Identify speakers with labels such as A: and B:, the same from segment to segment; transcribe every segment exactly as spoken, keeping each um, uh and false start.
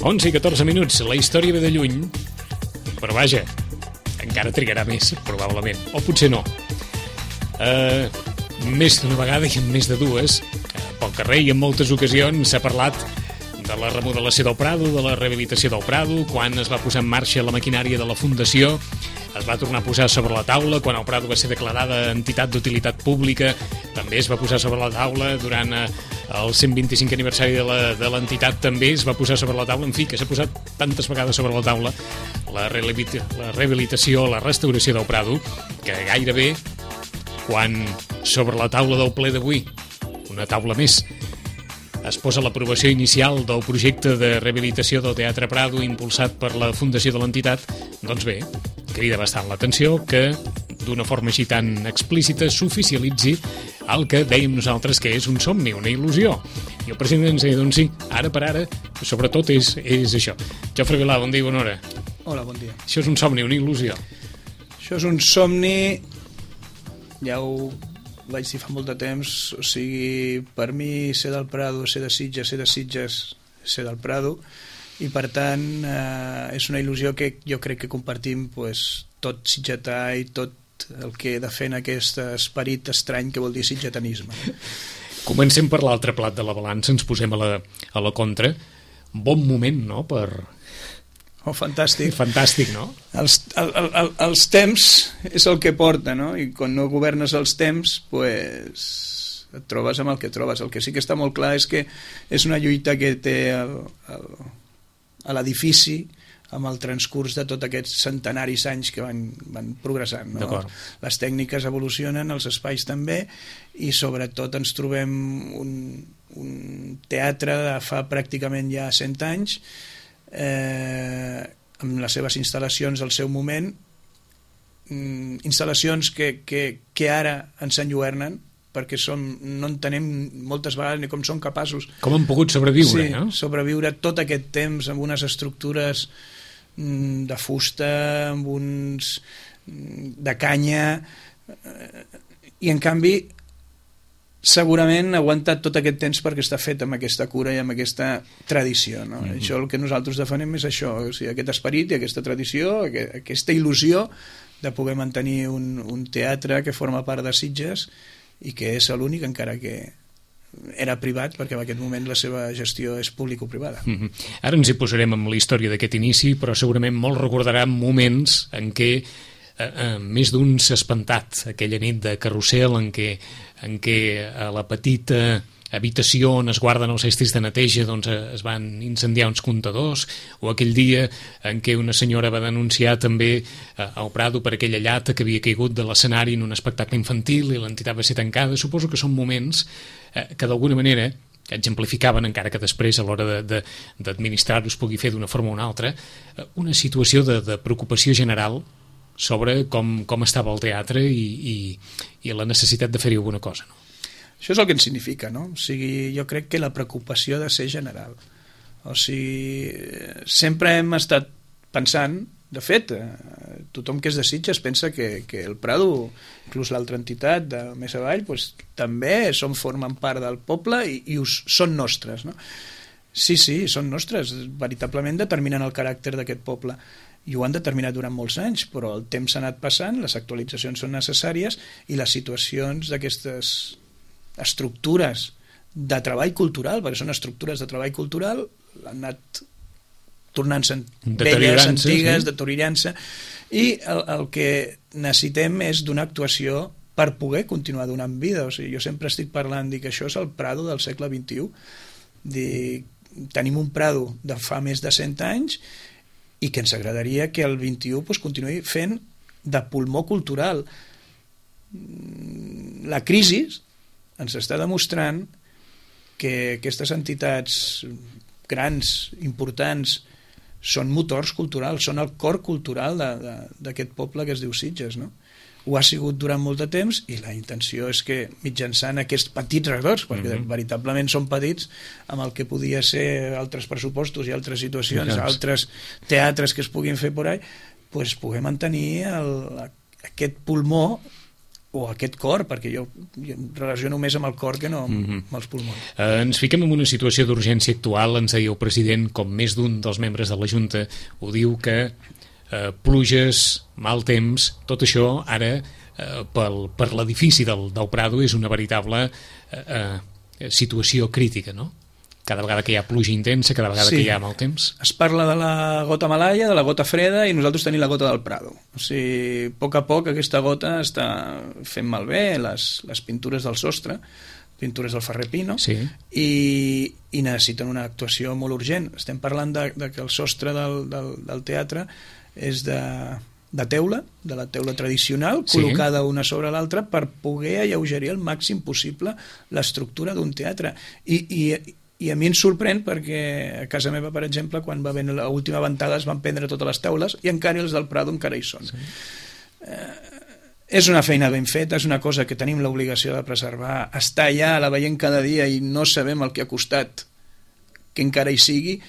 A: onze i catorze minuts, la història ve de lluny, però vaja, encara trigarà més, probablement, o potser no. Uh, més d'una vegada i en més de dues, uh, pel carrer i en moltes ocasions s'ha parlat de la remodelació del Prado, de la rehabilitació del Prado, quan es va posar en marxa la maquinària de la Fundació, es va tornar a posar sobre la taula quan el Prado va ser declarada entitat d'utilitat pública, també es va posar sobre la taula durant eh, el cent vint-i-cinc aniversari de l'entitat, també es va posar sobre la taula, en fi, que s'ha posat tantes vegades sobre la taula la, la rehabilitació, la restauració del Prado, que gairebé quan sobre la taula del ple d'avui, una taula més, es posa l'aprovació inicial del projecte de rehabilitació del Teatre Prado impulsat per la Fundació de l'entitat, doncs bé, crida bastant l'atenció que d'una forma així tan explícita s'oficialitzi el que dèiem nosaltres que és un somni, una il·lusió. I el president ens deia, doncs sí, ara per ara, sobretot és, és això. Jofre Vilà, bon dia i bona hora.
B: Hola, bon dia.
A: Això és un somni, una il·lusió.
B: Això és un somni, ja ho vaig dir fa molt de temps, o sigui, per mi ser del Prado, ser de Sitges, ser de Sitges, ser del Prado, i per tant eh, és una il·lusió que jo crec que compartim pues, tot sitgetà i tot el que defèn aquest esperit estrany que vol dir sitgetanisme.
A: Comencem per l'altre plat de la balança, ens posem a la, a la contra. Bon moment, no?, per...
B: Oh, fantàstic.
A: Fantàstic, no?
B: Els, el, el, els temps és el que porta, no? I quan no governes els temps, pues, et trobes amb el que trobes. El que sí que està molt clar és que és una lluita que té el, el, a l'edifici amb el transcurs de tots aquests centenaris anys que van, van progressant, no? Les tècniques evolucionen, els espais també, i sobretot ens trobem un, un teatre de fa pràcticament ja cent anys, eh, amb les seves instal·lacions al seu moment, mm, instal·lacions que, que, que ara ens enlluernen, perquè som, no entenem moltes vegades ni com són capaços.
A: Com han pogut sobreviure,
B: sí,
A: no?
B: sobreviure tot aquest temps amb unes estructures mm, de fusta, amb uns de canya, eh, i en canvi segurament ha aguantat tot aquest temps perquè està fet amb aquesta cura i amb aquesta tradició, no? Mm-hmm. Això el que nosaltres defenem és això, o sigui, aquest esperit i aquesta tradició, aquesta il·lusió de poder mantenir un, un teatre que forma part de Sitges i que és l'únic, encara que era privat, perquè en aquest moment la seva gestió és público-privada.
A: Mm-hmm. Ara ens hi posarem amb la història d'aquest inici, però segurament molt recordarà moments en què eh, eh, més d'un s'ha espantat, aquella nit de carrusel en què, en què a la petita habitació on es guarden els estris de neteja doncs es van incendiar uns comptadors, o aquell dia en què una senyora va denunciar també al Prado per aquella llata que havia caigut de l'escenari en un espectacle infantil i l'entitat va ser tancada. Suposo que són moments eh, que d'alguna manera exemplificaven, encara que després a l'hora d'administrar-ho es pugui fer d'una forma o una altra, una situació de, de preocupació general sobre com, com estava el teatre i, i, i la necessitat de fer-hi alguna cosa, no?
B: Això és el que ens significa, no? O sigui, jo crec que la preocupació ha de ser general. O sigui, sempre hem estat pensant, de fet, eh, tothom que és de Sitges pensa que, que el Prado, inclús l'altra entitat de més avall, pues, també són, formen part del poble i, i us, són nostres, no? Sí, sí, són nostres, veritablement determinen el caràcter d'aquest poble i ho han determinat durant molts anys, però el temps s'ha anat passant, les actualitzacions són necessàries i les situacions d'aquestes estructures de treball cultural, perquè són estructures de treball cultural, han anat tornant-se velles, antigues, sí? deteriorant-se, i el, el que necessitem és d'una actuació per poder continuar donant vida. O sigui, jo sempre estic parlant, dic, això és el Prado del segle vint-i-u, dic, tenim un Prado de fa més de cent anys i que ens agradaria que el vint-i-u pues, continuï fent de pulmó cultural. La crisi ens està demostrant que aquestes entitats grans, importants, són motors culturals, són el cor cultural d'aquest poble que es diu Sitges, no? Ho ha sigut durant molt de temps i la intenció és que mitjançant aquests petits records, perquè mm-hmm. veritablement són petits, amb el que podia ser altres pressupostos i altres situacions, mm-hmm. altres teatres que es puguin fer por ahí, pues, poder mantenir el, aquest pulmó o aquest cor, perquè jo, jo em relaciono més amb el cor que no amb, mm-hmm. amb els pulmons.
A: Eh, ens fiquem en una situació d'urgència actual, ens deia el president, com més d'un dels membres de la Junta ho diu, que eh, pluges, mal temps, tot això ara eh, pel, per l'edifici del, del Prado és una veritable eh, eh, situació crítica, no? Cada vegada que hi ha pluja intensa, cada vegada sí. que hi ha mal temps.
B: Es parla de la gota malaia, de la gota freda, i nosaltres tenim la gota del Prado. O sigui, a poc a poc aquesta gota està fent malbé les, les pintures del sostre, pintures del Ferrer Pino,
A: sí.
B: i, i necessiten una actuació molt urgent. Estem parlant de, de que el sostre del, del, del teatre és de, de teula, de la teula tradicional, sí. col·locada una sobre l'altra per poder alleugerir al màxim possible l'estructura d'un teatre. I, i I a mi em sorprèn perquè a casa meva, per exemple, quan va haver l'última ventada es van prendre totes les taules i encara els del Prado encara hi són. Sí. Eh, és una feina ben feta, és una cosa que tenim l'obligació de preservar, està allà, la veiem cada dia i no sabem el que ha costat que encara hi sigui,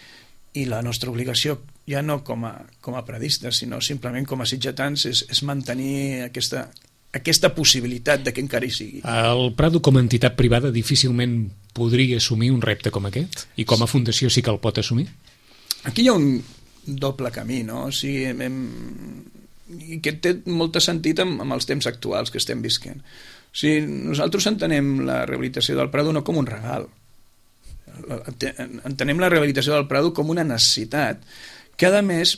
B: i la nostra obligació, ja no com a, com a periodistes, sinó simplement com a sitgetans, és, és mantenir aquesta, aquesta possibilitat de que encara hi sigui.
A: El Prado, com a entitat privada, difícilment podria assumir un repte com aquest? I com a fundació sí que el pot assumir?
B: Aquí hi ha un doble camí, no? O sigui, hem, i que té molt sentit amb, amb els temps actuals que estem visquent. O sigui, nosaltres entenem la rehabilitació del Prado no com un regal. Entenem la rehabilitació del Prado com una necessitat que, a més,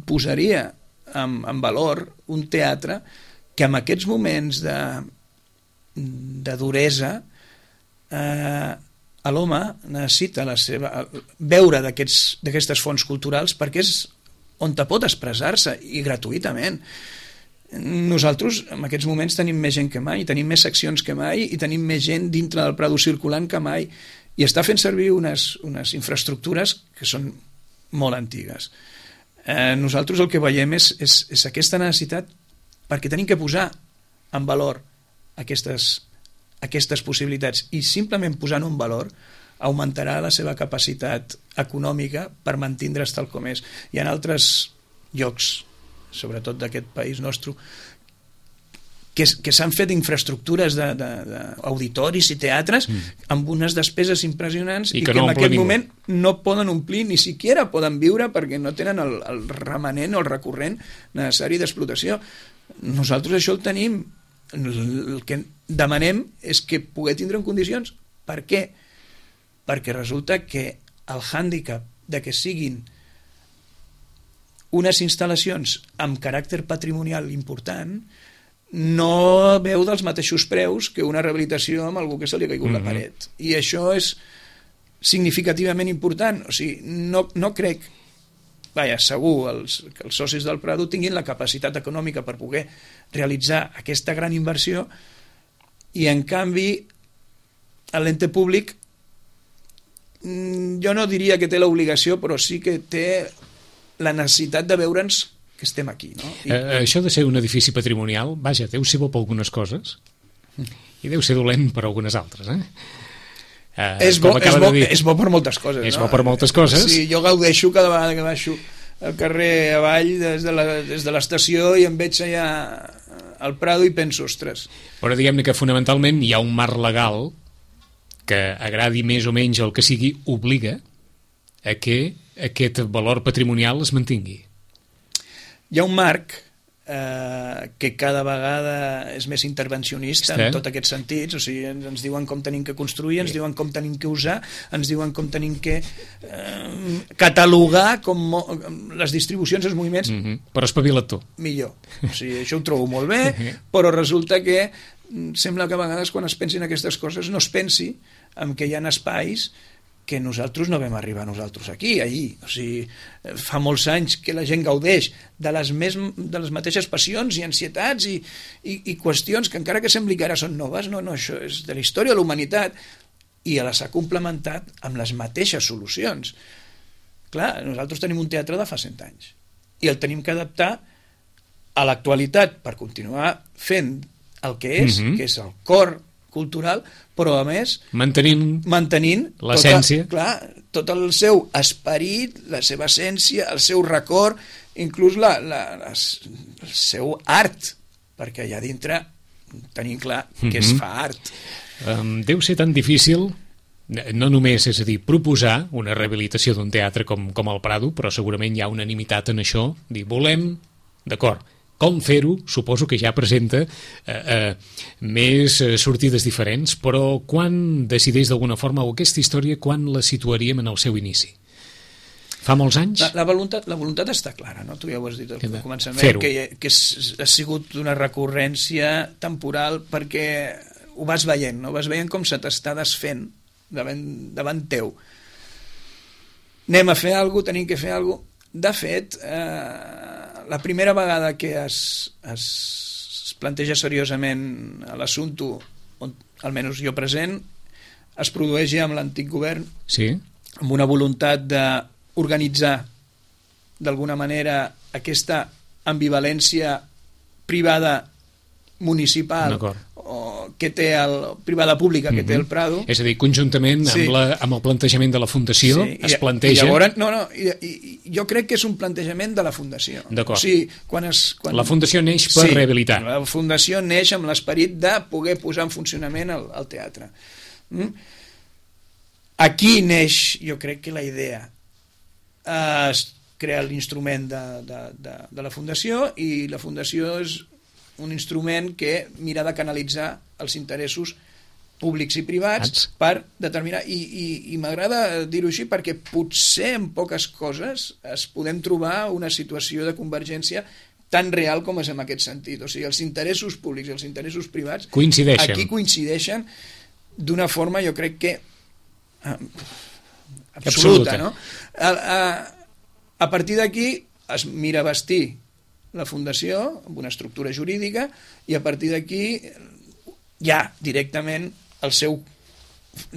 B: posaria en, en valor un teatre que en aquests moments de, de duresa eh, l'home necessita la seva, veure d'aquestes fonts culturals perquè és on te pot expressar-se i gratuïtament. Nosaltres en aquests moments tenim més gent que mai, tenim més seccions que mai i tenim més gent dintre del Prado circulant que mai, i està fent servir unes, unes infraestructures que són molt antigues. Eh, nosaltres el que veiem és, és, és aquesta necessitat perquè tenim que posar en valor aquestes, aquestes possibilitats, i simplement posant un valor augmentarà la seva capacitat econòmica per mantindre's tal com és. Hi ha altres llocs, sobretot d'aquest país nostre, que, que s'han fet infraestructures d'auditoris i teatres mm. amb unes despeses impressionants i, i que, que no en aquest ningú. moment no poden omplir, ni siquiera poden viure perquè no tenen el, el remanent o el recurrent necessari d'explotació. Nosaltres això el tenim. El que demanem és que poder tindre en condicions. Per què? Perquè resulta que el hàndicap de que siguin unes instal·lacions amb caràcter patrimonial important no veu dels mateixos preus que una rehabilitació amb algú que se li ha caigut mm-hmm. la paret. I això és significativament important. O sigui, no, no crec, vaja, segur els, que els socis del Prado tinguin la capacitat econòmica per poder realitzar aquesta gran inversió, i en canvi l'ente públic, jo no diria que té l'obligació, però sí que té la necessitat de veure'ns que estem aquí, no? I...
A: Eh, això de ser un edifici patrimonial, vaja, deu ser bo per algunes coses i deu ser dolent per algunes altres, eh?
B: Eh, és, bo, és, bo, és bo per moltes coses,
A: és
B: no?
A: bo per moltes coses.
B: Sí, jo gaudeixo cada vegada que baixo al carrer avall des de la, des de l'estació i em veig allà al Prado i penso, ostres.
A: Però diguem-ne que fonamentalment hi ha un marc legal que, agradi més o menys el que sigui, obliga a que aquest valor patrimonial es mantingui.
B: Hi ha un marc eh, que cada vegada és més intervencionista en tots aquests sentits. O sigui, ens, ens diuen com tenim que construir, ens diuen com tenim que usar, ens diuen com tenim que eh, catalogar com les distribucions, els moviments.
A: Mm-hmm. Però espavila't tu.
B: Millor. O sigui, això ho trobo molt bé, però resulta que sembla que a vegades quan es pensin aquestes coses no es pensi en que hi ha espais que nosaltres no vam arribar nosaltres aquí, ahir. O sigui, fa molts anys que la gent gaudeix de les, més, de les mateixes passions i ansietats i, i, i qüestions que encara que sembli que ara són noves, no, no, això és de la història de la humanitat, i les ha complementat amb les mateixes solucions. Clar, nosaltres tenim un teatre de fa cent anys i el tenim que adaptar a l'actualitat per continuar fent el que és, mm-hmm. que és el cor cultural, però a més
A: mantenint,
B: mantenint
A: l'essència,
B: tota, clar, tot el seu esperit, la seva essència, el seu record, inclús la, la, la, el seu art, perquè allà dintre tenim clar que mm-hmm. es fa art.
A: Um, deu ser tan difícil, no només, és a dir, proposar una rehabilitació d'un teatre com, com el Prado, però segurament hi ha unanimitat en això, dir, volem, d'acord, com fer-ho, suposo que ja presenta eh, eh, més eh, sortides diferents, però quan decideix d'alguna forma, o aquesta història, quan la situaríem en el seu inici? Fa molts anys?
B: La, la, voluntat, la voluntat està clara, no? Tu ja ho has dit al
A: de...
B: començament, que, que és, ha sigut una recurrència temporal perquè ho vas veient, no? Vas veient com se t'està desfent davant, davant teu. Anem a fer alguna cosa, tenim que fer alguna cosa. De fet, eh, la primera vegada que es, es, es planteja seriosament l'assumpte, on almenys jo present, es produeix ja amb l'antic govern,
A: sí,
B: amb una voluntat d'organitzar d'alguna manera aquesta ambivalència privada municipal o que té el, privada pública que mm-hmm. té el Prado.
A: És a dir, conjuntament sí. amb, la, amb el plantejament de la Fundació sí. es
B: I,
A: planteja...
B: I llavors, no, no, i, i, jo crec que és un plantejament de la Fundació.
A: D'acord.
B: O sigui, quan es, quan...
A: La Fundació neix per
B: sí,
A: rehabilitar.
B: La Fundació neix amb l'esperit de poder posar en funcionament el, el teatre. Mm? Aquí neix, jo crec que la idea. Es crea l'instrument de, de, de, de la Fundació i la Fundació és un instrument que mira de canalitzar els interessos públics i privats Ats. per determinar, i, i, i m'agrada dir-ho així perquè potser en poques coses es podem trobar una situació de convergència tan real com és en aquest sentit. O sigui, els interessos públics i els interessos privats
A: coincideixen.
B: Aquí coincideixen d'una forma, jo crec que eh, absoluta, absoluta. No? A, a, a partir d'aquí es mira vestir la Fundació amb una estructura jurídica i a partir d'aquí ja directament el seu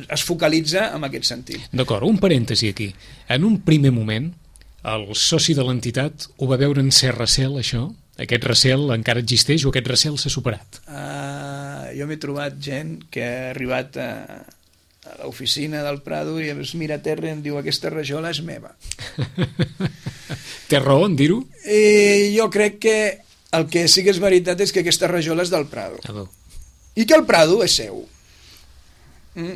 B: es focalitza en aquest sentit.
A: D'acord, un parèntesi aquí. En un primer moment el soci de l'entitat ho va veure en cert recel, això? Aquest recel encara existeix o aquest recel s'ha superat?
B: Uh, jo m'he trobat gent que ha arribat a, a l'oficina del Prado i es mira a terra i em diu aquesta rajola és meva.
A: Té raó en dir-ho?
B: I jo crec que el que sí que és veritat és que aquesta rajola és del Prado.
A: Ah,
B: i que el Prado és seu. Mm?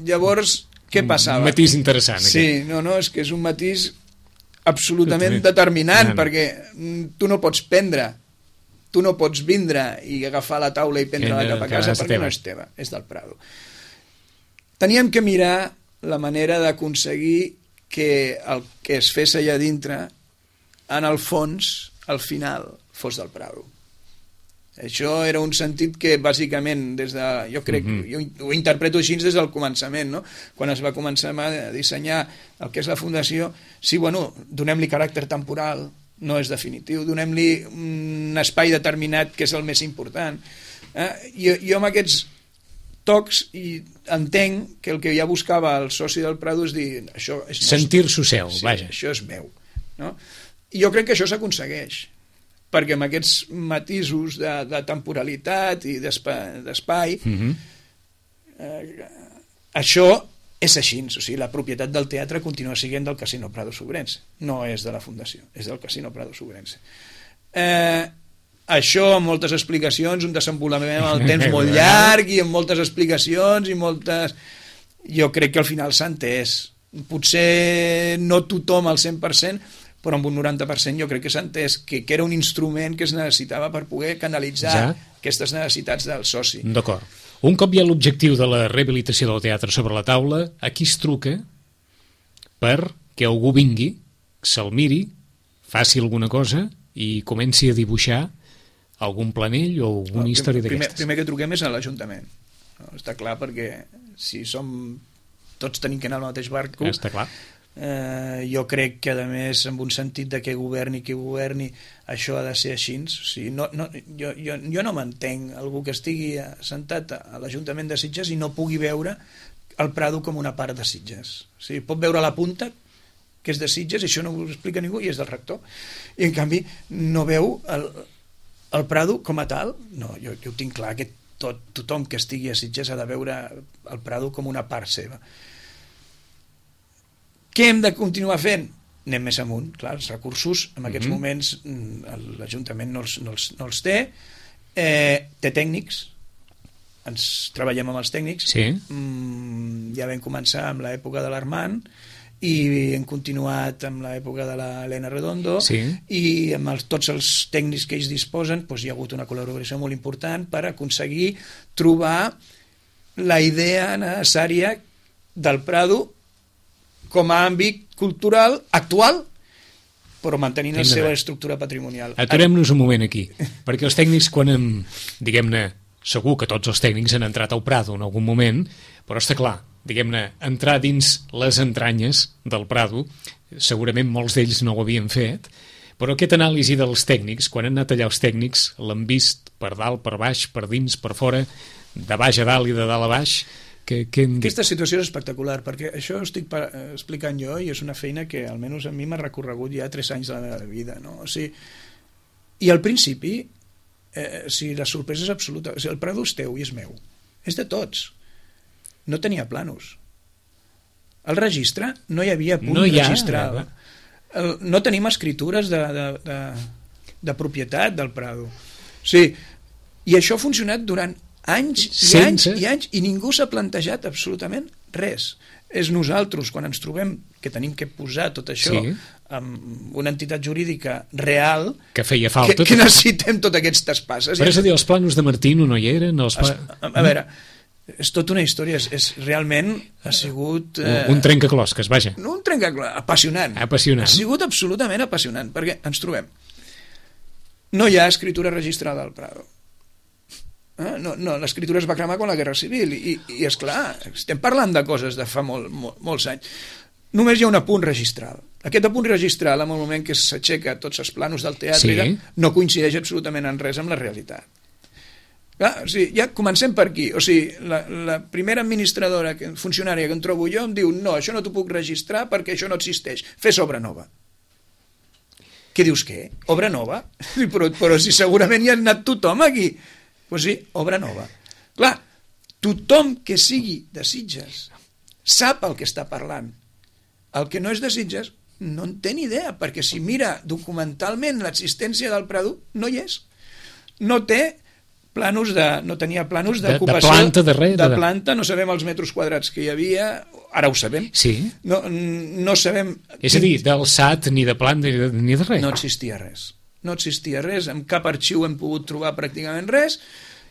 B: Llavors, què passava?
A: Un matís interessant.
B: Sí, aquest. no, no, és que és un matís absolutament determinant, no, no. perquè tu no pots prendre, tu no pots vindre i agafar la taula i prendre-la cap a casa perquè no és teva, és del Prado. Teníem que mirar la manera d'aconseguir que el que es fes allà dintre, en el fons, al final, fos del Prado. Això era un sentit que, bàsicament, des de, jo crec, mm-hmm. jo ho interpreto així des del començament, no? Quan es va començar a dissenyar el que és la Fundació, sí, bueno, donem-li caràcter temporal, no és definitiu, donem-li un espai determinat que és el més important. Eh? Jo, jo amb aquests tocs i entenc que el que ja buscava el soci del Prado és dir això és
A: sentir-s'ho seu,
B: sí,
A: vaja.
B: Això és meu, no? I jo crec que això s'aconsegueix perquè amb aquests matisos de, de temporalitat i d'espai mm-hmm. eh, això és així, o sigui, la propietat del teatre continua sent del Casino Prado Sobrense, no és de la Fundació, és del Casino Prado Sobrense. Eh, això amb moltes explicacions, un desenvolupament amb el temps molt llarg i amb moltes explicacions i moltes... Jo crec que al final s'ha entès. Potser no tothom al cent per cent, però amb un noranta per cent jo crec que s'ha entès que, que era un instrument que es necessitava per poder canalitzar ja. aquestes necessitats del soci.
A: D'acord. Un cop hi ha l'objectiu de la rehabilitació del teatre sobre la taula, a qui es truca perquè algú vingui, se'l miri, faci alguna cosa i comenci a dibuixar algun planell o alguna no, història d'aquestes?
B: Primer, primer que truquem és a l'Ajuntament. No, està clar, perquè si som... tots tenim que anar al mateix barco...
A: Està clar.
B: Eh, jo crec que a més amb un sentit de que governi qui governi això ha de ser així, o sigui, no, no, jo, jo, jo no m'entenc algú que estigui sentat a l'Ajuntament de Sitges i no pugui veure el Prado com una part de Sitges, o sigui, pot veure la punta que és de Sitges i això no ho explica ningú i és del rector i en canvi no veu el, el Prado com a tal. No, jo, jo ho tinc clar que tot, tothom que estigui a Sitges ha de veure el Prado com una part seva. Què hem de continuar fent? Anem més amunt, clar, els recursos en aquests mm-hmm. moments l'Ajuntament no els, no, els, no els té, Eh, té tècnics, ens treballem amb els tècnics,
A: sí.
B: mm, ja vam començar amb l'època de l'Armand i hem continuat amb l'època de l'Helena Redondo,
A: sí.
B: i amb els, tots els tècnics que ells disposen, doncs hi ha hagut una col·laboració molt important per aconseguir trobar la idea necessària del Prado com a àmbit cultural actual, però mantenint la seva estructura patrimonial.
A: Aturem-nos un moment aquí, perquè els tècnics, quan hem, diguem-ne, segur que tots els tècnics han entrat al Prado en algun moment, però està clar, diguem-ne, entrar dins les entranyes del Prado, segurament molts d'ells no ho havien fet, però aquesta anàlisi dels tècnics, quan han anat allà els tècnics, l'han vist per dalt, per baix, per dins, per fora, de baix a dalt i de dalt a baix. Que, que hem...
B: Aquesta situació és espectacular, perquè això estic explicant jo i és una feina que almenys a mi m'ha recorregut ja tres anys de la meva vida, no? O sigui, i al principi, eh, o sigui, la sorpresa és absoluta. O sigui, el Prado és teu i és meu. És de tots. No tenia planos. El registre no hi havia punt
A: no hi ha,
B: registral.
A: Ja,
B: el, no tenim escritures de, de, de, de propietat del Prado. O sigui, i això ha funcionat durant anys i
A: Sense...
B: anys i anys i ningú s'ha plantejat absolutament res. És nosaltres, quan ens trobem que tenim que posar tot això sí. amb una entitat jurídica real,
A: que feia falta,
B: que, que necessitem totes aquestes passes.
A: Però és a dir, els planos de Martino no hi eren? Els pla...
B: A, a veure, és tota una història, és, és realment ha sigut...
A: Eh, un trencaclosques, vaja.
B: Un trencaclosques, apassionant.
A: Apassionant.
B: Ha sigut absolutament apassionant, perquè ens trobem. No hi ha escritura registrada al Prado. Eh? No, no, l'escritura es va cremar con la Guerra Civil i, i esclar, estem parlant de coses de fa molt, molt, molts anys. Només hi ha un apunt registral. Aquest apunt registral, en el moment que s'aixeca tots els planos del teatre, sí. no coincideix absolutament en res amb la realitat. Clar, o sigui, ja comencem per aquí. O sigui, la, la primera administradora, funcionària que em trobo jo, em diu no, això no t'ho puc registrar perquè això no existeix. Fes obra nova. Què dius, què? Obra nova? Però, però si segurament hi ha anat tothom aquí. Doncs pues sí, obra nova. Clar, tothom que sigui de Sitges sap el que està parlant. El que no és de Sitges no en té ni idea, perquè si mira documentalment l'existència del Prado, no hi és. No té planos de, no tenia planos d'ocupació,
A: de, de planta, de, res,
B: de planta, no sabem els metres quadrats que hi havia, ara ho sabem.
A: Sí.
B: No, no sabem...
A: És a dir, d'alçat, ni de planta, ni de, ni de res.
B: No existia res. No existia res, en cap arxiu hem pogut trobar pràcticament res.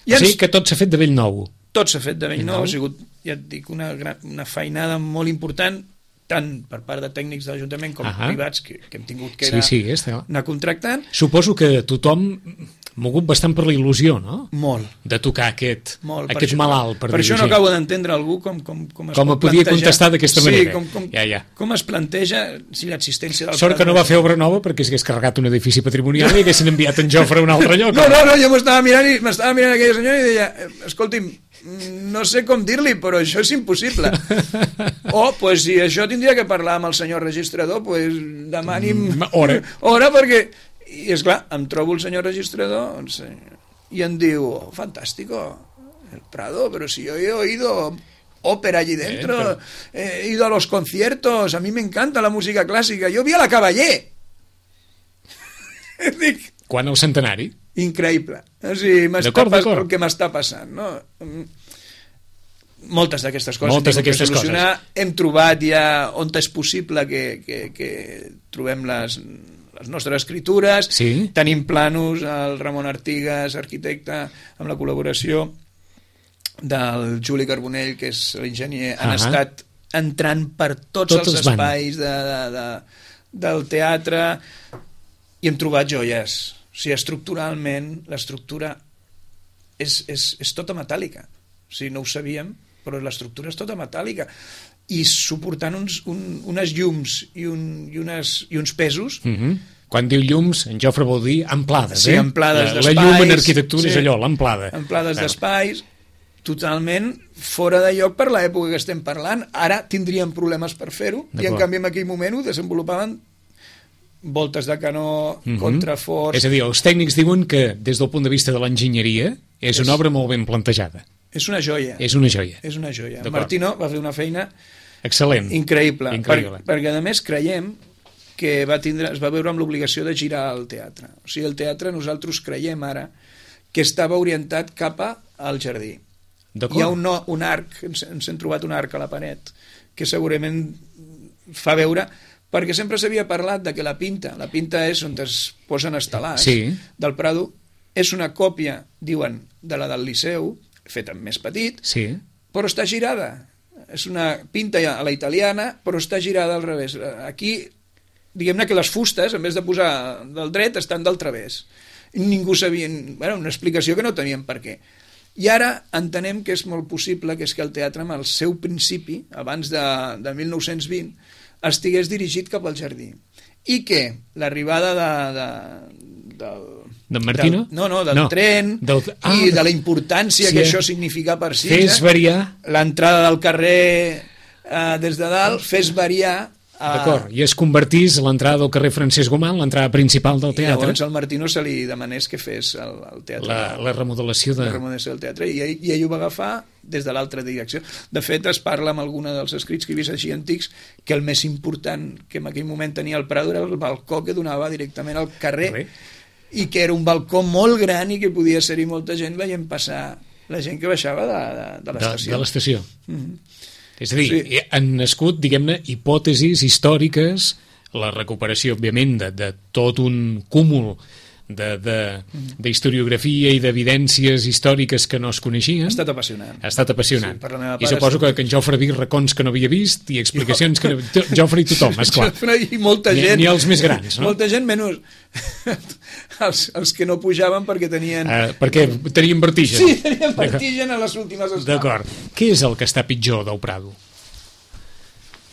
A: I o sigui ens... que tot s'ha fet de bell nou.
B: Tot s'ha fet de bell nou, ha sigut, ja et dic, una, gran, una feinada molt important, tant per part de tècnics de l'Ajuntament com uh-huh. privats que, que hem tingut que
A: sí, sí,
B: anar contractant.
A: Suposo que tothom mogut bastant per la il·lusió, no?
B: Molt.
A: De tocar aquest,
B: Molt.
A: aquest
B: per
A: malalt, per
B: Per
A: dir-ho
B: això no
A: així.
B: acabo d'entendre algú com, com, com es
A: com
B: pot
A: podia
B: plantejar.
A: contestar d'aquesta manera.
B: Sí, com, com,
A: ja, ja.
B: com es planteja si l'existència del...
A: Sort que no va fer obra nova perquè s'hagués carregat un edifici patrimonial i haguessin enviat en Jofre a un altre lloc.
B: No, no, no, jo m'estava mirant i m'estava mirant aquella senyora i deia, escolti'm, no sé com dir-li, però això és impossible. O, pues, si això tindria que parlar amb el senyor registrador, pues, demani'm...
A: Hora.
B: Hora, perquè... I, esclar, em trobo el senyor registrador i em diu, oh, fantástico, el Prado, pero si yo he oído ópera allí dentro, eh, pero... he ido a los conciertos, a mí me encanta la música clásica, yo vi a la Cavallé. Dic...
A: Quan el centenari?
B: Increïble. O sigui, m'està pas... el que m'està passant, no? Moltes d'aquestes coses
A: Moltes d'aquestes
B: coses. Hem trobat ja on és possible que, que, que trobem les, les nostres escritures,
A: sí.
B: Tenim planos, el Ramon Artigas, arquitecte, amb la col·laboració del Juli Carbonell, que és l'enginyer, uh-huh. han estat entrant per tots, tots els espais de, de, de, del teatre i hem trobat joies. O sigui, estructuralment, l'estructura és, és, és tota metàl·lica. O sigui, no ho sabíem, però l'estructura és tota metàl·lica. I suportant uns, un, unes llums i, un, i, unes, i uns pesos...
A: Uh-huh. Quan diu llums, en Jofre vol dir amplades,
B: sí,
A: eh?
B: amplades
A: la,
B: d'espais.
A: La llum en arquitectura sí, és allò, l'amplada.
B: Amplades claro. d'espais, totalment fora de lloc per l'època que estem parlant. Ara tindríem problemes per fer-ho, i en canvi en aquell moment ho desenvolupaven voltes de canó, uh-huh. contraforts...
A: És a dir, els tècnics diuen que, des del punt de vista de l'enginyeria, és, és una obra molt ben plantejada.
B: És una joia.
A: És una joia.
B: És una joia. Martino va fer una feina...
A: Excel·lent.
B: Increïble.
A: Increïble.
B: Per, perquè, a més, creiem que va tindre, es va veure amb l'obligació de girar el teatre. O sigui, el teatre, nosaltres creiem ara que estava orientat cap al jardí. Hi ha un, no, un arc, ens, ens hem trobat un arc a la paret, que segurament fa veure, perquè sempre s'havia parlat de que la pinta, la pinta és on es posen estelars
A: sí.
B: del Prado, és una còpia, diuen, de la del Liceu, feta més petit,
A: sí.
B: però està girada. És una pinta a la italiana, però està girada al revés. Aquí, diguem-ne que les fustes, en vez de posar del dret, estan del través. Ningú sabia... Bueno, una explicació que no teníem per què. I ara entenem que és molt possible que és que el teatre, amb el seu principi, abans de, de mil nou-cents vint, estigués dirigit cap al jardí. I que l'arribada de, de, del...
A: D'en Martino?
B: Del, no, no, del
A: no.
B: tren
A: del... Ah,
B: i de la importància sí, que això significa per Sitges.
A: Fes variar...
B: L'entrada del carrer eh, des de dalt, fes variar...
A: D'acord, i es convertís l'entrada del carrer Francesc Gomà en l'entrada principal del teatre.
B: I llavors al Martino se li demanés que fes el, el teatre.
A: La, la remodelació de...
B: La remodelació del teatre, i ell, i ell ho va agafar des de l'altra direcció. De fet, es parla amb alguna dels escrits que he vist així antics que el més important que en aquell moment tenia el Prado era el balcó que donava directament al carrer, Res. I que era un balcó molt gran i que podia ser-hi molta gent veient passar la gent que baixava de, de, de l'estació.
A: De, de l'estació.
B: Mm-hmm.
A: És a dir,
B: sí.
A: han nascut, diguem-ne, hipòtesis històriques, la recuperació, òbviament, de, de tot un cúmul d'historiografia i d'evidències històriques que no es coneixien.
B: Ha estat apassionant.
A: Ha estat apassionant.
B: Sí,
A: I suposo que, que en Jofre vi racons que no havia vist i explicacions que no... Jofre i tothom, esclar.
B: Jofre i molta gent.
A: Ni, ni els més grans, no?
B: Molta gent, menys els, els que no pujaven perquè tenien...
A: Uh, perquè tenien vertigen.
B: Sí, tenien vertigen a les últimes escales.
A: D'acord. Què és el que està pitjor del Prado?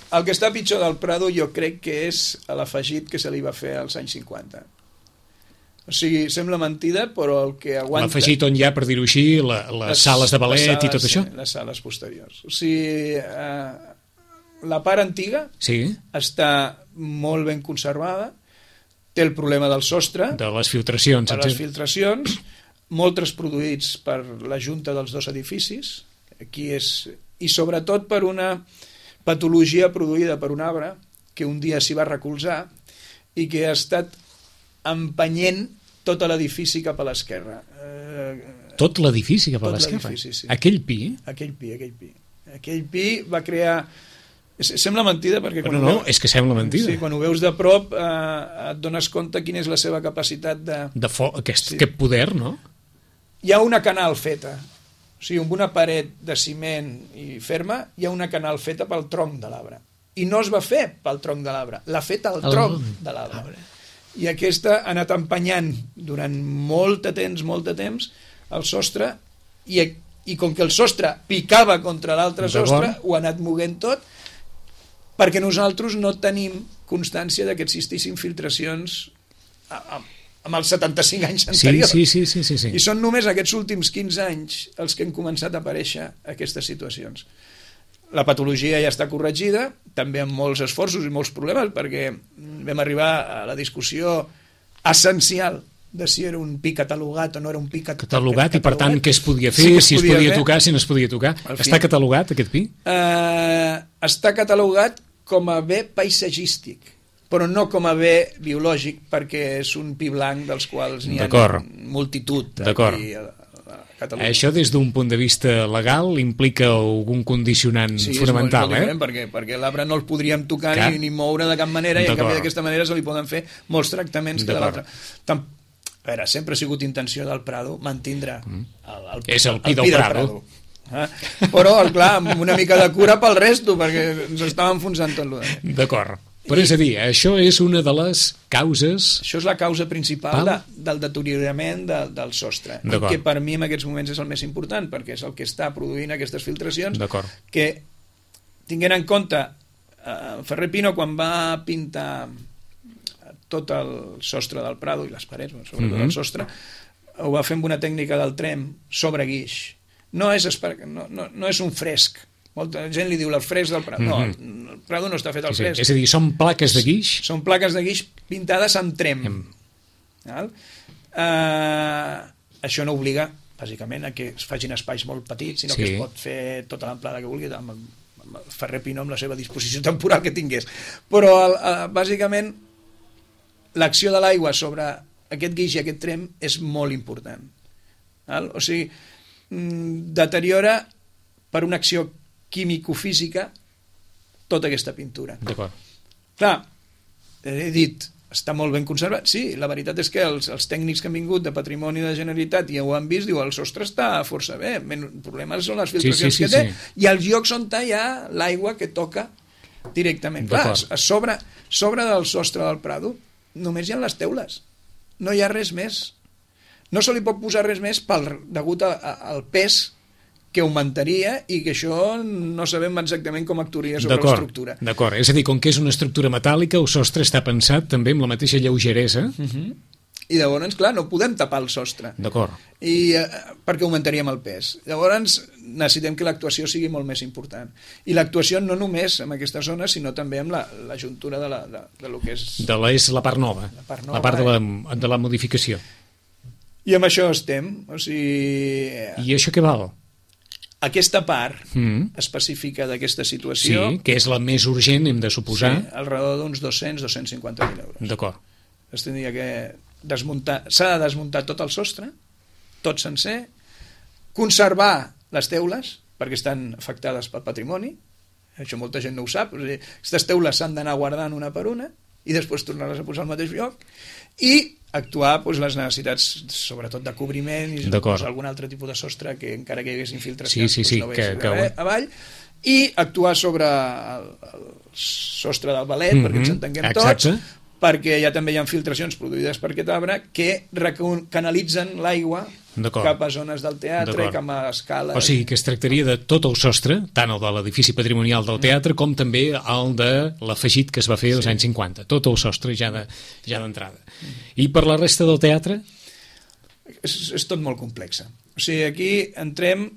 B: El que està pitjor del Prado jo crec que és l'afegit que se li va fer als anys cinquanta. O sigui, sembla mentida, però el que aguanta...
A: L'afegit on hi ha, per dir-ho així, la, les, les sales de ballet sales, i tot això?
B: Sí, les sales posteriors. O sigui, eh, la part antiga
A: sí.
B: està molt ben conservada, té el problema del sostre...
A: De les filtracions.
B: De les filtracions, molts produïts per la junta dels dos edificis, aquí és... i sobretot per una patologia produïda per un arbre que un dia s'hi va recolzar i que ha estat empenyent tot l'edifici cap a l'esquerra.
A: Eh, tot l'edifici cap a l'esquerra?
B: Sí.
A: Aquell pi?
B: Aquell pi, aquell pi. Aquell pi va crear... Sembla mentida perquè...
A: Quan no, no, veus... és que sembla mentida.
B: Sí, quan ho veus de prop eh, et dones compte quina és la seva capacitat de...
A: De fo... aquest, sí. aquest poder, no?
B: Hi ha una canal feta. O sigui, amb una paret de ciment i ferma, hi ha una canal feta pel tronc de l'arbre. I no es va fer pel tronc de l'arbre, l'ha fet el tronc el... de l'arbre. I aquesta ha anat empenyant durant molt de temps, molt de temps, el sostre, i, i com que el sostre picava contra l'altre sostre, ho ha anat moguent tot, perquè nosaltres no tenim constància de que existissin filtracions a, a, amb els setanta-cinc anys anteriors.
A: Sí, sí, sí, sí, sí.
B: I són només aquests últims quinze anys els que han començat a aparèixer aquestes situacions. La patologia ja està corregida, també amb molts esforços i molts problemes, perquè vam arribar a la discussió essencial de si era un pi catalogat o no era un pi cat
A: catalogat. Catalogat, i per tant què es podia fer, sí es si podia es podia fer. Tocar, si no es podia tocar. Està catalogat aquest pi?
B: Uh, està catalogat com a bé paisatgístic, però no com a bé biològic, perquè és un pi blanc dels quals n'hi ha multitud aquí a Catalunya.
A: Això des d'un punt de vista legal implica algun condicionant
B: sí,
A: fonamental,
B: és molt, és molt eh? Perquè, perquè l'arbre no el podríem tocar ni, ni moure de cap manera i en canvi d'aquesta manera se li poden fer molts tractaments que de l'altre. A veure, sempre ha sigut intenció del Prado mantindre el, el,
A: és el pi
B: el,
A: del,
B: el pi del
A: Prado,
B: Prado. Eh? Però, clar, amb una mica de cura pel resto, perquè ens estava enfonsant tot l'ho.
A: D'acord. Però és a dir, això és una de les causes...
B: Això és la causa principal de, del deteriorament de, del sostre, que per mi en aquests moments és el més important, perquè és el que està produint aquestes filtracions, que, tinguent en compte, eh, Ferrer Pino, quan va pintar tot el sostre del Prado i les parets, sobretot mm-hmm. el sostre, ho va fer amb una tècnica del trem sobre guix. No és, no, no, no és un fresc. Molta gent li diu el fresc del Prado. Mm-hmm. No, el Prado no està fet al
A: sí,
B: fresc.
A: És a dir, són plaques de guix?
B: Són plaques de guix pintades amb trem. Mm. Uh, això no obliga, bàsicament, a que es facin espais molt petits, sinó sí. que es pot fer tota l'amplada que vulgui, amb, amb el Ferrer Pino amb la seva disposició temporal que tingués. Però, uh, bàsicament, l'acció de l'aigua sobre aquest guix i aquest trem és molt important. Val? O sigui, deteriora per una acció químico-física tota aquesta pintura.
A: D'acord.
B: Clar, he dit, està molt ben conservat. Sí, la veritat és que els, els tècnics que han vingut de Patrimoni de la Generalitat i ho han vist, diu, el sostre està força bé, el problema són les filtracions
A: sí, sí, sí,
B: que té,
A: sí.
B: i els llocs on hi ha l'aigua que toca directament. Clar, a sobre, sobre del sostre del Prado només hi ha les teules, no hi ha res més. No se li pot posar res més pel, degut a, a, al pes que augmentaria i que això no sabem exactament com actuaria sobre l'estructura.
A: D'acord, és a dir, com que és una estructura metàl·lica, el sostre està pensat també amb la mateixa lleugeresa.
B: Uh-huh. I llavors, clar, no podem tapar el sostre.
A: D'acord.
B: I eh, perquè augmentaríem el pes. Llavors necessitem que l'actuació sigui molt més important. I l'actuació no només en aquesta zona, sinó també amb la, la juntura de, la, de, de lo que és...
A: De la, és la part nova, la part, nova, la part de, la, de la modificació.
B: I amb això estem. O sigui...
A: I això què val?
B: Aquesta part
A: mm.
B: específica d'aquesta situació...
A: Sí, que és la més urgent, hem de suposar.
B: Sí, al redor d'uns dos-cents a dos-cents cinquanta mil euros.
A: D'acord.
B: Es tindria que desmuntar... S'ha de desmuntar tot el sostre, tot sencer, conservar les teules, perquè estan afectades pel patrimoni, això molta gent no ho sap, o sigui, aquestes teules s'han d'anar guardant una per una i després tornar-les a posar al mateix lloc, i actuar doncs, les necessitats, sobretot de cobriment i doncs, algun altre tipus de sostre que encara que hi hagués infiltracions
A: sí, sí, sí,
B: doncs, no
A: que, que...
B: avall, i actuar sobre el, el sostre del balet, mm-hmm, perquè ens entenguem
A: exacte.
B: Tots, perquè ja també hi ha filtracions produïdes per aquest arbre que canalitzen l'aigua cap a zones del teatre, cap a escales...
A: O sigui, que es tractaria de tot el sostre, tant el de l'edifici patrimonial del teatre com també el de l'afegit que es va fer als sí. anys cinquanta. Tot el sostre ja d'entrada. Ja I per la resta del teatre?
B: És, és tot molt complex. O sigui, aquí entrem...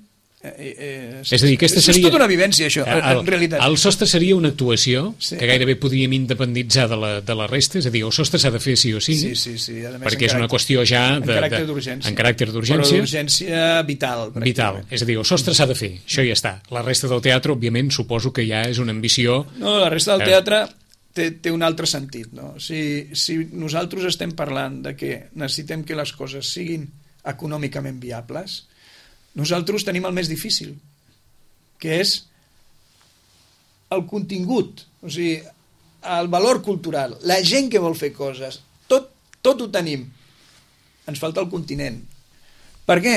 B: Eh, eh,
A: és a dir, aquesta seria...
B: És tota una vivència, això, el, en realitat.
A: El sostre seria una actuació sí. que gairebé podríem independitzar de la, de la resta, és a dir, el sostre s'ha de fer sí o sí,
B: sí, sí, sí. A més,
A: perquè és una qüestió ja de,
B: en caràcter d'urgència.
A: En caràcter d'urgència.
B: Però d'urgència vital.
A: Vital, és a dir, el sostre s'ha de fer, això ja està. La resta del teatre, òbviament, suposo que ja és una ambició...
B: No, la resta del teatre té, té un altre sentit, no? Si, si nosaltres estem parlant de que necessitem que les coses siguin econòmicament viables, nosaltres tenim el més difícil, que és el contingut, o sigui, el valor cultural, la gent que vol fer coses, tot, tot ho tenim. Ens falta el continent. Per què?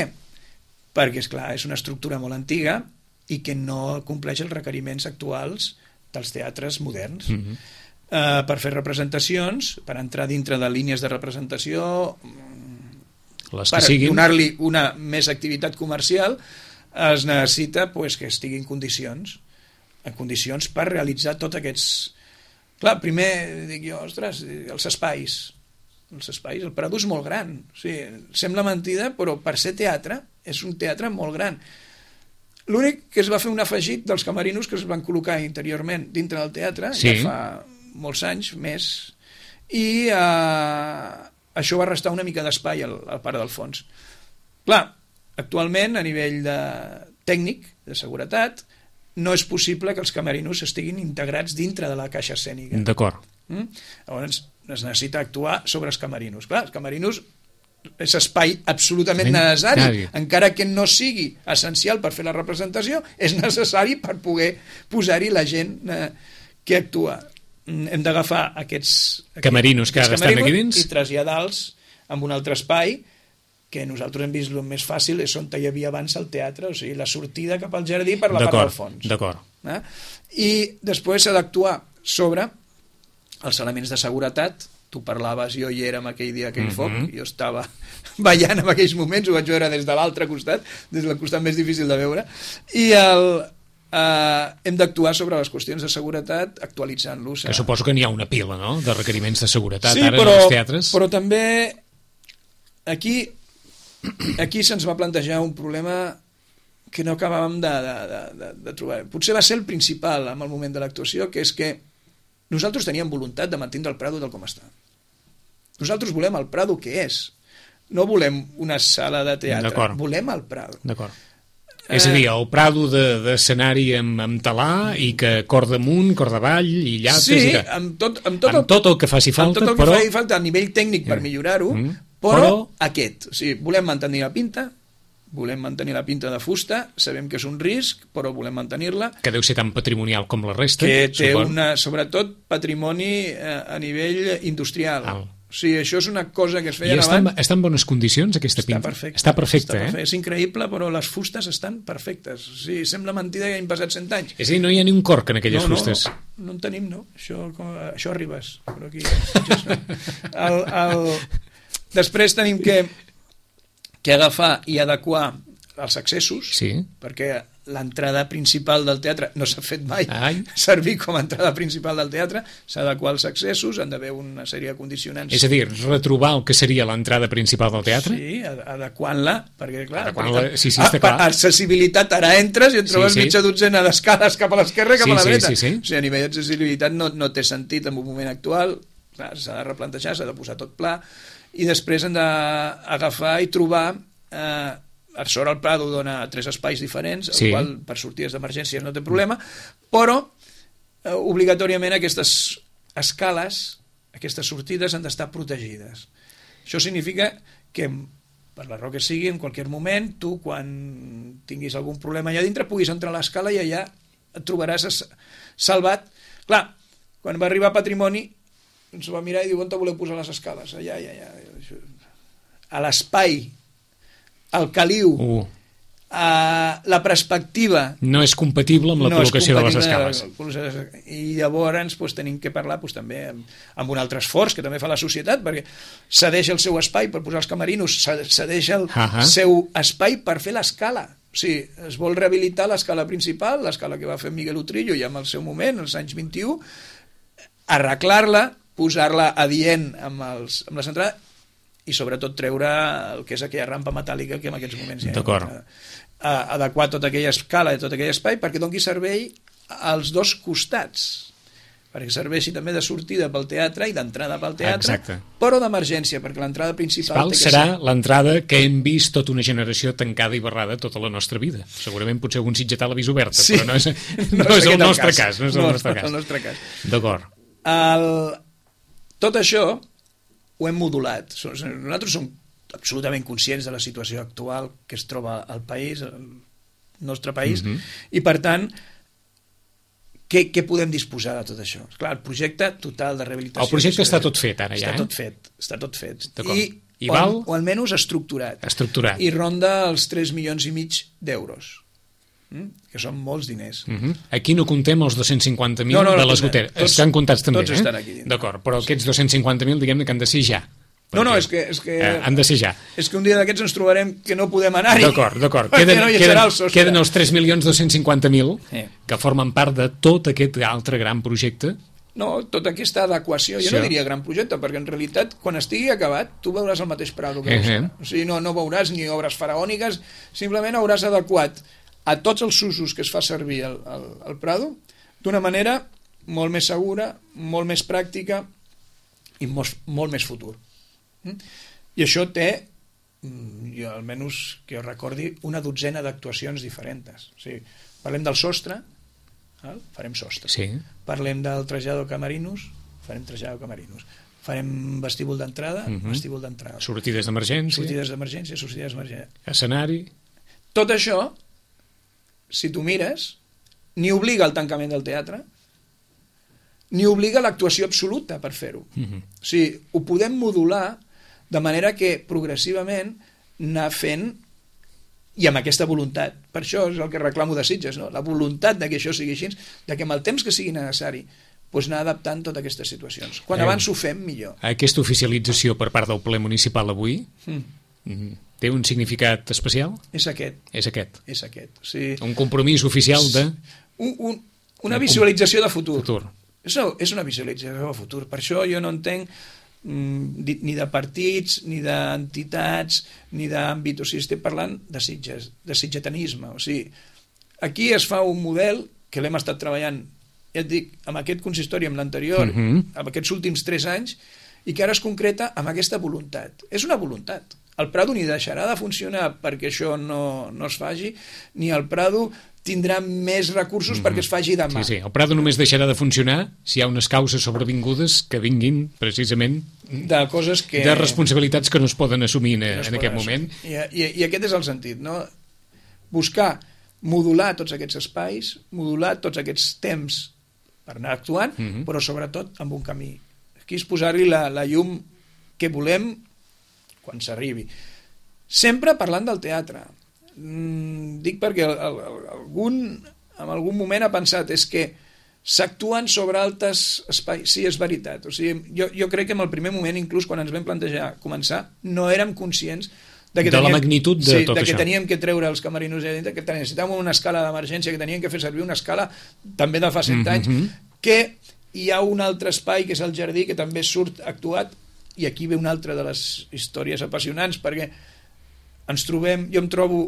B: Perquè, és clar, és una estructura molt antiga i que no compleix els requeriments actuals dels teatres moderns. Mm-hmm. Uh, per fer representacions, per entrar dintre de línies de representació,
A: les que
B: per
A: siguin...
B: donar-li una més activitat comercial, es necessita pues, que estigui en condicions, en condicions per realitzar tots aquests... Clar, primer dic jo, ostres, els espais, els espais, el Prado és molt gran, o sigui, sembla mentida, però per ser teatre, és un teatre molt gran. L'únic que es va fer un afegit dels camerinos que es van col·locar interiorment dintre del teatre, sí. ja fa molts anys més, i eh, això va restar una mica d'espai al, al part del fons. Clar, actualment, a nivell de tècnic, de seguretat, no és possible que els camerinos estiguin integrats dintre de la caixa escènica.
A: D'acord.
B: Mm? Llavors, es necessita actuar sobre els camerinos. Clar, els camerinos és espai absolutament necessari, Nadie. encara que no sigui essencial per fer la representació, és necessari per poder posar-hi la gent eh, que actua. Hem d'agafar aquests, aquests
A: camerinos que ara estan aquí dins
B: i traslladar-los en un altre espai que nosaltres hem vist el més fàcil és on hi havia abans el teatre, o sigui, la sortida cap al jardí per la part del fons.
A: D'acord.
B: Eh? I després s'ha d'actuar sobre els elements de seguretat. Tu parlaves, jo hi era en aquell dia, aquell mm-hmm. foc, jo estava ballant en aquells moments, ho vaig veure des de l'altre costat, des del costat més difícil de veure, i el, eh, hem d'actuar sobre les qüestions de seguretat actualitzant-los.
A: Que suposo que n'hi ha una pila, no?, de requeriments de seguretat
B: sí,
A: ara
B: però,
A: en els teatres.
B: Però també aquí, aquí se'ns va plantejar un problema que no acabàvem de, de, de, de, de trobar. Potser va ser el principal en el moment de l'actuació, que és que nosaltres teníem voluntat de mantindre el Prado tal com està. Nosaltres volem el Prado que és. No volem una sala de teatre, volem el Prado.
A: D'acord. Eh... És a dir, el Prado d'escenari de, amb, amb talà i que cor damunt, cor davall i llates...
B: Sí,
A: i que...
B: amb, tot, amb, tot
A: amb
B: el,
A: tot el que faci falta,
B: amb tot el
A: però...
B: que faci falta a nivell tècnic per millorar-ho, mm. però, però aquest. O sigui, volem mantenir la pinta, volem mantenir la pinta de fusta, sabem que és un risc, però volem mantenir-la.
A: Que deu ser tan patrimonial com la resta.
B: Que té
A: suport.
B: una, sobretot patrimoni eh, a nivell industrial.
A: Alt.
B: O sigui, això és una cosa que es
A: I
B: feien
A: està,
B: abans.
A: en- està en bones condicions, aquesta
B: Està
A: pinta?
B: perfecte.
A: Està perfecte,
B: està
A: eh?
B: perfecte. És increïble, però les fustes estan perfectes. O sigui, sembla mentida que hagin passat cent anys.
A: És a dir, no hi ha ni un corc en aquelles
B: no,
A: fustes.
B: No, no, no en tenim, no. Això, com, això arribes. Però aquí, el, el... Després tenim que, que agafar i adequar els accessos,
A: Sí.
B: perquè l'entrada principal del teatre no s'ha fet mai
A: Ai.
B: servir com a entrada principal del teatre, s'ha d'adequar els accessos, han d'haver una sèrie de condicionants.
A: És a dir, retrobar el que seria l'entrada principal del teatre?
B: Sí, ad- adequant-la, perquè clar,
A: Adequant-la,
B: perquè-
A: sí, sí, està
B: ah,
A: clar.
B: accessibilitat, ara entres i et trobes
A: Sí, sí.
B: mitja dotzena d'escales cap a l'esquerra i cap
A: Sí,
B: a la
A: sí,
B: dreta.
A: sí, sí.
B: O sigui, a nivell d'accessibilitat no, no té sentit en un moment actual, clar, s'ha de replantejar, s'ha de posar tot pla, i després hem d'agafar i trobar... Eh, a sobre el Prado dona tres espais diferents, el
A: Sí.
B: qual per sortides d'emergència no té problema, però eh, obligatòriament aquestes escales, aquestes sortides han d'estar protegides. Això significa que per la raó que sigui, en qualsevol moment, tu quan tinguis algun problema allà dintre puguis entrar a l'escala i allà et trobaràs es- salvat. Clar, quan va arribar Patrimoni ens va mirar i diu, on te voleu posar les escales? Allà, allà, allà. A l'espai, al caliu,
A: Uh,
B: a la perspectiva
A: no és compatible amb la
B: no és
A: col·locació de les
B: compatible
A: escales.
B: i llavors pues, tenim que parlar pues, també amb, amb un altre esforç que també fa la societat, perquè cedeix el seu espai per posar els camerinos, cedeix el
A: Ahà.
B: seu espai per fer l'escala. O sigui, es vol rehabilitar l'escala principal, l'escala que va fer Miguel Utrillo ja en el seu moment, als anys vint-i-u, arreglar-la, posar-la adient amb, els, amb les entrades i sobretot treure el que és aquella rampa metàl·lica que en aquests moments hi ha.
A: D'acord.
B: A, adequar tota aquella escala i tot aquell espai perquè doni servei als dos costats, perquè serveixi també de sortida pel teatre i d'entrada pel teatre,
A: Exacte.
B: però d'emergència, perquè l'entrada principal
A: Val,
B: té que
A: serà
B: ser...
A: l'entrada que hem vist tota una generació tancada i barrada tota la nostra vida. Segurament potser algun sitgetà l'ha vist oberta,
B: Sí.
A: però no és, no
B: No és
A: és el
B: aquest el
A: nostre
B: cas.
A: cas. No és el
B: No,
A: nostre
B: no és
A: cas.
B: el nostre cas.
A: D'acord.
B: El... Tot això ho hem modulat. Nosaltres som absolutament conscients de la situació actual que es troba al país, el nostre país,
A: Mhm.
B: i per tant, què, què podem disposar de tot això? Clar, el projecte total de rehabilitació...
A: El projecte està tot fet ara ja,
B: Està
A: eh?
B: tot fet, està tot fet.
A: D'acord.
B: I,
A: I
B: o,
A: val?
B: o almenys estructurat.
A: Estructurat.
B: I ronda els tres milions i mig d'euros, mm? que són molts diners.
A: Mhm. Aquí no comptem els dos-cents cinquanta mil
B: No, no, no
A: de les
B: comptem.
A: goteres.
B: Tots-
A: Estan comptats també,
B: tots
A: eh?
B: estan aquí dintre.
A: D'acord, però aquests dos-cents cinquanta mil diguem-ne que han de ser ja.
B: No, no,
A: Perquè,
B: és que... És que...
A: eh, han de ser ja.
B: És que un dia d'aquests ens trobarem que no podem anar-hi.
A: D'acord, d'acord.
B: Perquè
A: Queden,
B: no hi
A: queden,
B: serà el sostre.
A: queden els tres milions dos-cents cinquanta mil
B: Sí.
A: que formen part de tot aquest altre gran projecte.
B: No, tota aquesta adequació, jo
A: Sí.
B: no diria gran projecte, perquè en realitat, quan estigui acabat, tu veuràs el mateix Prado que
A: Eh,
B: veus
A: eh.
B: ara. O sigui, no, no veuràs ni obres faraòniques, simplement hauràs adequat a tots els usos que es fa servir el, el, el Prado d'una manera molt més segura, molt més pràctica i molt, molt més futur. Mm? I això té, mm, jo almenys que jo recordi, una dotzena d'actuacions diferents. O sigui, parlem del sostre, val? Farem sostre.
A: Sí.
B: Parlem del trasllador camerinos, farem trasllador camerinos. Farem vestíbul d'entrada,
A: Mhm.
B: vestíbul d'entrada.
A: Sortides d'emergència,
B: Sortides d'emergència, sortides d'emergència.
A: escenari...
B: Tot això, si tu mires, ni obliga al tancament del teatre, ni obliga l'actuació absoluta per fer-ho.
A: Mhm.
B: O sigui, ho podem modular de manera que progressivament anar fent i amb aquesta voluntat. Per això és el que reclamo de Sitges, no? La voluntat de que això sigui així, de que amb el temps que sigui necessari doncs anar adaptant totes aquestes situacions. Quan
A: Eh.
B: abans ho fem, millor.
A: Aquesta oficialització per part del ple municipal avui
B: Mm.
A: mhm, té un significat especial?
B: És aquest,
A: És aquest.
B: és aquest. O sigui,
A: Un compromís oficial de
B: un, un, una
A: Una
B: visualització de futur.
A: futur.
B: És una, és una visualització de futur. Per això jo no entenc mm, di- ni de partits, ni d'entitats, ni d'àmbit. O sigui, estem parlant de Sitges, de sitgetanisme. O sigui, aquí es fa un model que l'hem estat treballant, ja et dic, amb aquest consistori, amb l'anterior,
A: Mhm.
B: amb aquests últims tres anys, i que ara es concreta amb aquesta voluntat. És una voluntat. el Prado ni deixarà de funcionar perquè això no, no es faci, ni el Prado tindrà més recursos mm-hmm. perquè es faci demà.
A: Sí, sí, el Prado només deixarà de funcionar si hi ha unes causes sobrevingudes que vinguin precisament
B: de coses que...
A: de responsabilitats que no es poden assumir en, no en aquest moment.
B: I, i, I aquest és el sentit, no? Buscar modular tots aquests espais, modular tots aquests temps per anar actuant, mm-hmm. però sobretot amb un camí. Aquí és posar-hi la, la llum que volem quan s'arribi. Sempre parlant del teatre. Mm, dic perquè el, el, algun, en algun moment ha pensat és que s'actuen sobre altres espais. Sí, és veritat. O sigui, jo, jo crec que en el primer moment, inclús quan ens vam plantejar començar, no érem conscients de, que
A: de
B: teníem,
A: la magnitud de
B: sí,
A: tot
B: de que
A: això.
B: Teníem que treure els camerinos de dintre, que necessitàvem una escala d'emergència, que teníem que fer servir una escala també de fa cent mm-hmm. anys, que hi ha un altre espai, que és el jardí, que també surt actuat, i aquí ve una altra de les històries apassionants, perquè ens trobem, jo em trobo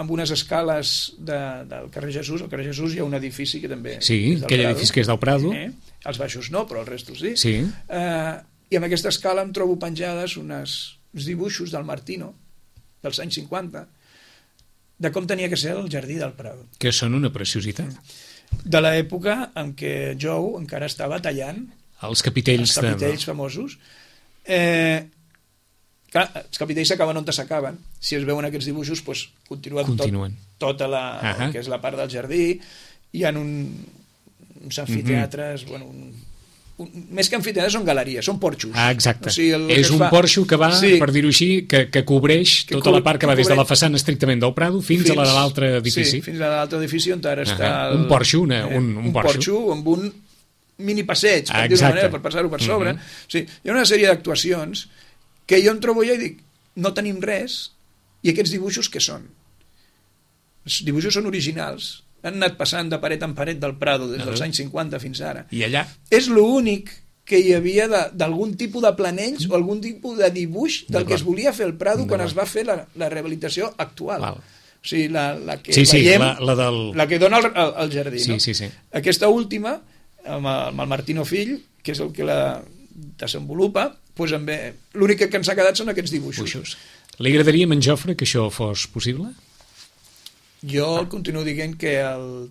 B: amb unes escales de, del carrer Jesús. Al carrer Jesús hi ha un edifici que també
A: sí,
B: és del
A: aquell
B: Prado.
A: Edifici que és del Prado.
B: Eh? Els baixos no, però els restos sí.
A: sí.
B: Eh, I amb aquesta escala em trobo penjades unes, uns dibuixos del Martino, dels anys cinquanta, de com tenia que ser el jardí del Prado.
A: Que són una preciositat.
B: De l'època en què Jou encara estava tallant
A: els capitells,
B: els capitells
A: de...
B: famosos. Eh, clar, els capitells s'acaben on s'acaben. Si es veuen aquests dibuixos, doncs, continuen,
A: continuen.
B: Tot, tota la, uh-huh. que és la part del jardí. Hi ha un, uns amfiteatres, uh-huh. bueno, un, un, més que amfiteatres són galeries, són porxos.
A: Ah, exacte.
B: O sigui,
A: és un fa... porxo que va, sí. per dir-ho així, que, que cobreix que tota cobr... la part que va des de la façana estrictament del Prado fins, fins a l'altre edifici.
B: Sí, fins a l'altre edifici on ara uh-huh. està... El,
A: un porxo, una,
B: eh,
A: un, un,
B: un
A: porxo.
B: porxo amb un mini passeig, per
A: ah,
B: dir-ho manera, per passar-ho per sobre.
A: Uh-huh.
B: O sigui, hi ha una sèrie d'actuacions que jo em trobo ja i dic, no tenim res, i aquests dibuixos què són? Els dibuixos són originals, han anat passant de paret en paret del Prado des dels uh-huh. anys cinquanta fins ara.
A: I allà?
B: És l'únic que hi havia d'algun tipus de planells o algun tipus de dibuix del que es volia fer el Prado quan es va fer la, la rehabilitació actual.
A: Val.
B: O sigui, la, la que
A: sí, sí,
B: veiem,
A: la, la, del...
B: la que dona el, el, el jardí.
A: Sí,
B: no?
A: sí, sí.
B: Aquesta última, amb el, amb el Martino fill, que és el que la desenvolupa, doncs amb, l'únic que ens ha quedat són aquests dibuixos.
A: Buixos. Li agradaria a en Jofre que això fos possible?
B: Jo el continuo dient que el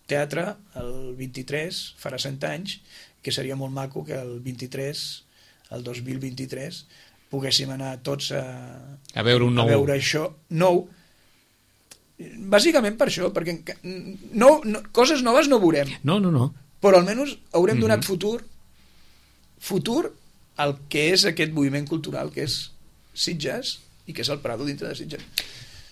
B: teatre, el vint-i-tres, farà cent anys, que seria molt maco que el vint-i-tres, el dos mil vint-i-tres, poguéssim anar tots a,
A: a veure un nou.
B: A veure això nou. Bàsicament per això, perquè no, no, coses noves no veurem.
A: No, no, no.
B: Però almenys haurem donat
A: mm-hmm.
B: futur futur al que és aquest moviment cultural, que és Sitges i que és el Prado dintre de Sitges.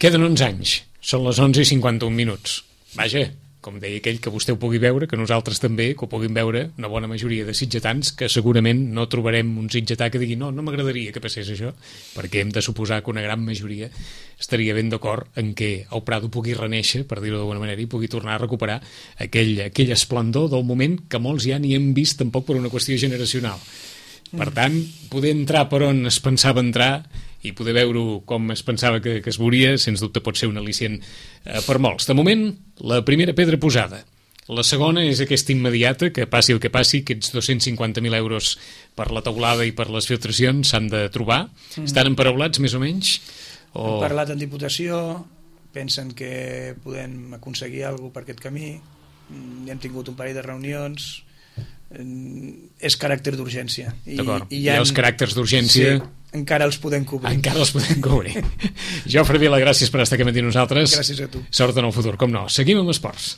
A: Queden onze anys, són les onze i cinquanta-un minuts. Vaja, com deia aquell, que vostè ho pugui veure, que nosaltres també, que ho puguin veure una bona majoria de sitgetans, que segurament no trobarem un sitgetà que digui no, no m'agradaria que passés això, perquè hem de suposar que una gran majoria estaria ben d'acord en que el Prado pugui renéixer, per dir-ho d'alguna manera, i pugui tornar a recuperar aquell, aquell esplendor del moment que molts ja ni hem vist tampoc per una qüestió generacional. Per tant, poder entrar per on es pensava entrar i poder veure com es pensava que, que es veuria, sens dubte pot ser un al·licient eh, per molts. De moment, la primera pedra posada. La segona és aquesta immediata, que passi el que passi, aquests dos-cents cinquanta mil euros per la teulada i per les filtracions s'han de trobar. Mm. Estan emparaulats, més o menys? O...
B: Hem parlat en Diputació, pensen que podem aconseguir alguna cosa per aquest camí, hem tingut un parell de reunions, és caràcter d'urgència. I,
A: D'acord,
B: i
A: hi ha els caràcters d'urgència...
B: Sí, encara els podem cobrir.
A: Encara els podem cobrir. Jofre Vila, gràcies per estar aquí amb nosaltres.
B: Gràcies a tu.
A: Sort en el futur, com no. Seguim amb esports.